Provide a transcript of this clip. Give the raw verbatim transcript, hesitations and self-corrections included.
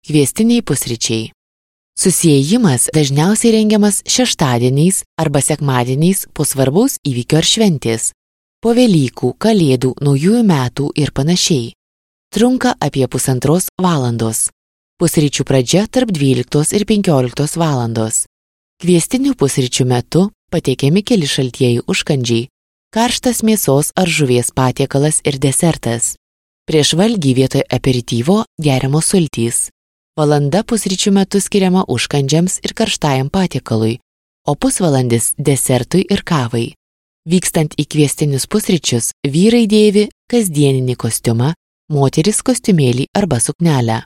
Kviestiniai pusryčiai. Susiejimas dažniausiai rengiamas šeštadieniais arba sekmadieniais po svarbaus įvykio ar šventės, po Velykų, Kalėdų, Naujųjų metų ir panašiai. Trunka apie pusantros valandos. Pusryčių pradžia tarp dvyliktos ir penkioliktos valandos. Kviestinių pusryčių metu pateikiami keli šaltieji užkandžiai, karštas mėsos ar žuvies patiekalas ir desertas. Prieš valgį vietoj aperityvo geriamos sultys. Valanda pusryčių metu skiriama užkandžiams ir karštajam patiekalui, o pusvalandis desertui ir kavai. Vykstant į kviestinius pusryčius, vyrai dėvi kasdieninį kostiumą, moteris kostiumėlį arba suknelę.